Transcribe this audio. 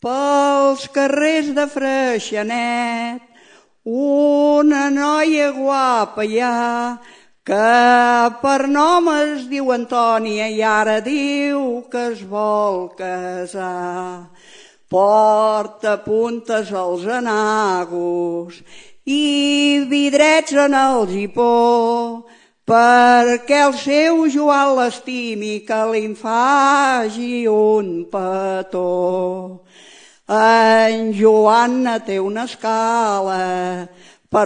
pels carrers de Freixenet una noia guapa hi ha que per nom es diu Antònia i ara diu que es vol casar. Porta puntes als enagos i vidrets en el gipó perquè el seu Joan l'estimi que li'n faci un petó. En Joan té una escala